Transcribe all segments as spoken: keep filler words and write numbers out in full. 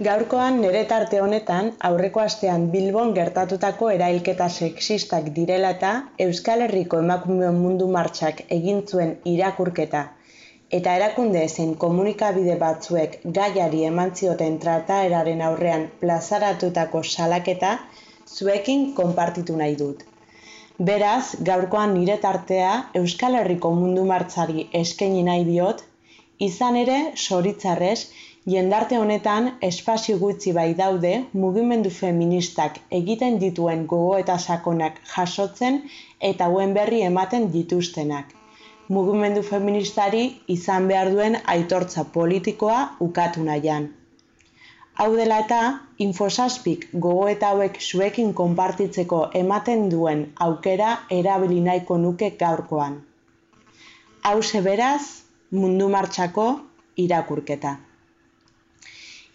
Gaurkoan nire tarte honetan aurreko astean Bilbon gertatutako erailketa sexistak direla eta Euskal Herriko emakumeon mundu martxak egin zuen irakurketa eta erakunde zein komunikabide batzuek gaiari eman zioten trataeraren aurrean plazaratutako salaketa zuekin konpartitu nahi dut. Beraz, gaurkoan nire tartea Euskal Herriko mundu martxari eskaini nahi diot, izan ere, zoritzarrez, jendarte honetan espazio gutxi bai daude mugimendu feministak egiten dituen gogoeta sakonak jasotzen eta hauen berri ematen dituztenak. Mugimendu feministari izan behar duen aitortza politikoa ukatu nahian. Hau dela eta, Infosazpik gogoeta hauek zuekin konpartitzeko ematen duen aukera erabili nahiko nuke gaurkoan. Hauxe beraz, mundu martxako irakurketa.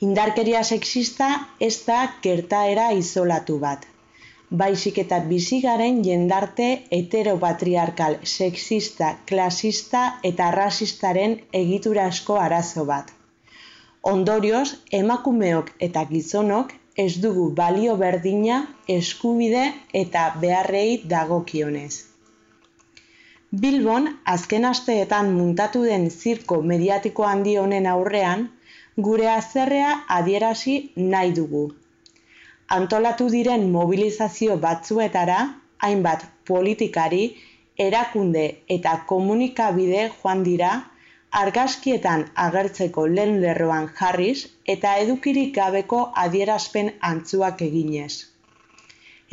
Indarkeria sexista ez da gertaera isolatu bat, baizik eta bizi garen jendarte heteropatriarkal, sexista, klasista eta rasistaren egiturazko arazo bat. Ondorioz, emakumeok eta gizonok ez dugu balio berdina, eskubide eta beharrei dagokionez. Bilbon, azken asteetan muntatu den zirko mediatiko handi honen aurrean, gure haserrea adierazi nahi dugu. Antolatu diren mobilizazio batzuetara, hainbat politikari, erakunde eta komunikabide joan dira, argazkietan agertzeko lehen lerroan jarriz eta edukirik gabeko adierazpen antzuak eginez.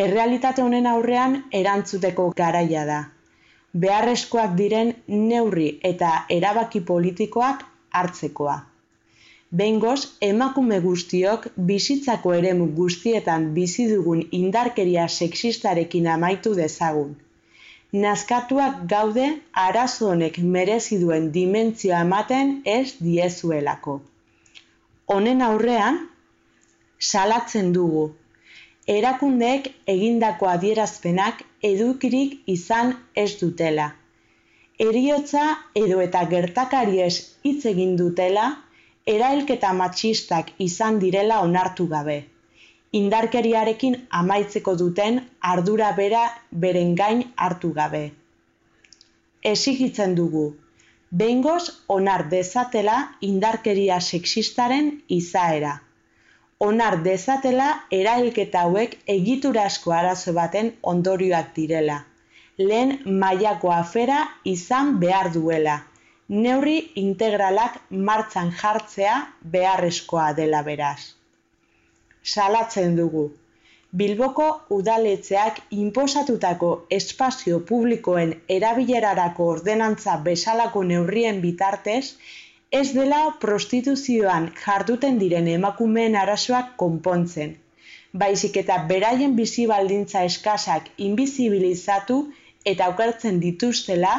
Errealitate honen aurrean erantzuteko garaia da. Beharrezkoak diren neurri eta erabaki politikoak hartzekoa. Behingoz, emakume guztiok bizitzako eremu guztietan bizi dugun indarkeria sexistarekin amaitu dezagun. Nazkatuak gaude arazo honek merezi duen dimentsioa ematen ez diezuelako. Honen aurrean, salatzen dugu. Erakundeek egindako adierazpenak edukirik izan ez dutela. Heriotza edo eta gertakariez hitz egin dutela, erailketa matxistak izan direla onartu gabe. Indarkeriarekin amaitzeko duten ardura bera beren gain hartu gabe. Exigitzen dugu, behingoz onar dezatela indarkeria sexistaren izaera. Onar dezatela erailketa hauek egiturazko arazo baten ondorioak direla. Lehen mailako afera izan behar duela. Neurri integralak martxan jartzea beharrezkoa dela beraz. Salatzen dugu. Bilboko udaletxeak inposatutako espazio publikoen erabilerarako ordenantza bezalako neurrien bitartez, ez dela prostituzioan jarduten diren emakumeen arazoak konpontzen, baizik eta beraien bizi baldintza eskasak inbizibilizatu eta okertzen dituztela,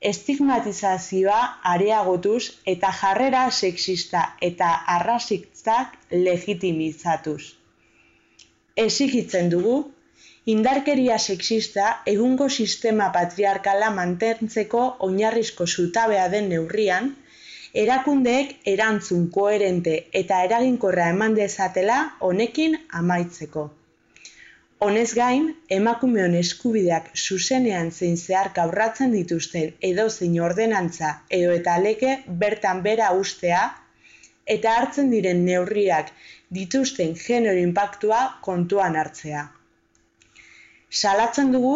estigmatizazioa areagotuz eta jarrera sexista eta arrazistak legitimizatuz. Exigitzen dugu, indarkeria sexista egungo sistema patriarkala mantentzeko oinarrizko zutabea den neurrian, erakundeek erantzun koherente eta eraginkorra eman dezatela honekin amaitzeko. Honez gain, emakumeon eskubideak zuzenean zein zeharka urratzen dituzten edozein ordenantza edo eta lege bertan bera uztea eta hartzen diren neurriak dituzten genero inpaktua kontuan hartzea. Salatzen dugu,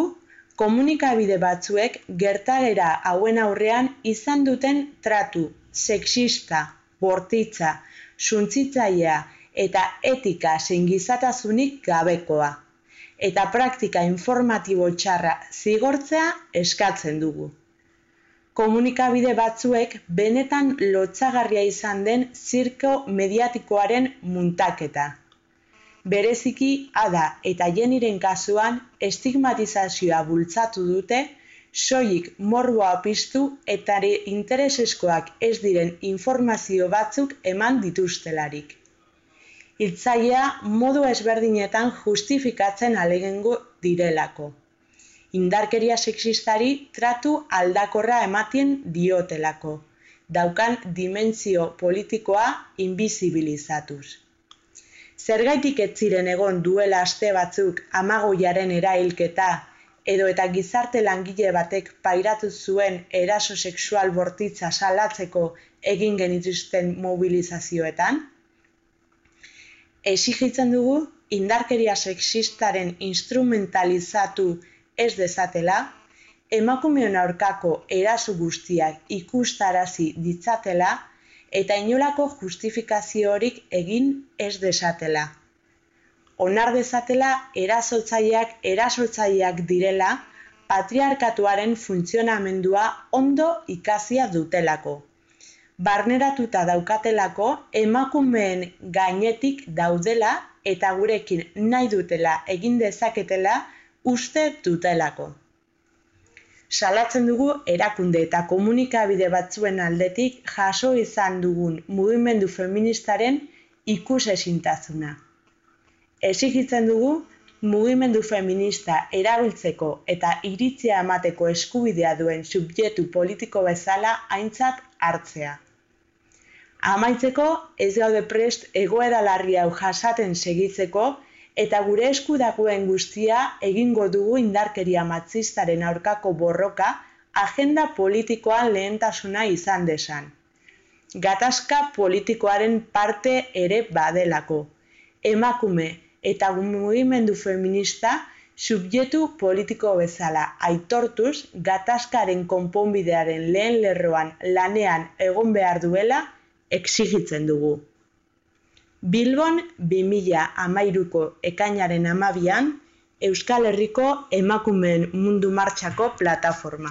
komunikabide batzuek gertaera hauen aurrean izan duten tratu sexista, bortitza, suntsitzailea eta etika zein gizatasunik gabekoa. Eta praktika informatibo txarra zigortzea eskatzen dugu. Komunikabide batzuek benetan lotsagarria izan den zirko mediatikoaren muntaketa. Bereziki Ada eta Jeniren kasuan estigmatizazioa bultzatu dute, soilik morboa piztu eta intereseskoak ez diren informazio batzuk eman dituztelarik. Hiltzailea modu ezberdinetan justifikatzen ahalegindu direlako. Indarkeria sexistari tratu aldakorra ematen diotelako, daukan dimentsio politikoa inbizibilizatuz. Zergaitik ez ziren egon duela aste batzuk Amagoiaren erailketa edo eta gizarte langile batek pairatu zuen eraso sexual bortitza salatzeko egin genituzten mobilizazioetan? Exigitzen dugu indarkeria sexistaren instrumentalizatu ez dezatela, emakumeon aurkako eraso guztiak ikustarazi ditzatela eta inolako justifikaziorik egin ez desatela. Onar dezatela erasotzaileak erasotzaileak direla patriarkatuaren funtzionamendua ondo ikasia dutelako. Barneratuta daukatelako emakumeen gainetik daudela eta gurekin nahi dutela egin dezaketela uste dutelako. Salatzen dugu erakunde eta komunikabide batzuen aldetik jaso izan dugun mugimendu feministaren ikusezintasuna. Exigitzen dugu mugimendu feminista erabiltzeko eta iritzia emateko eskubidea duen subjektu politiko bezala aintzat hartzea. Amaitzeko, ez gaude prest egoera larri hau jasaten segitzeko eta gure esku dagoen guztia egingo dugu indarkeria matxistaren aurkako borroka agenda politikoan lehentasuna izan desan. Gatazka politikoaren parte ere badelako. Emakume eta mugimendu feminista subjektu politiko bezala aitortuz gatazkaren konponbidearen lehen lerroan lanean egon behar duela exigitzen dugu. Bilbon bi mila hamairuko ekainaren hamabian Euskal Herriko Emakumeen Mundu Martxako plataforma.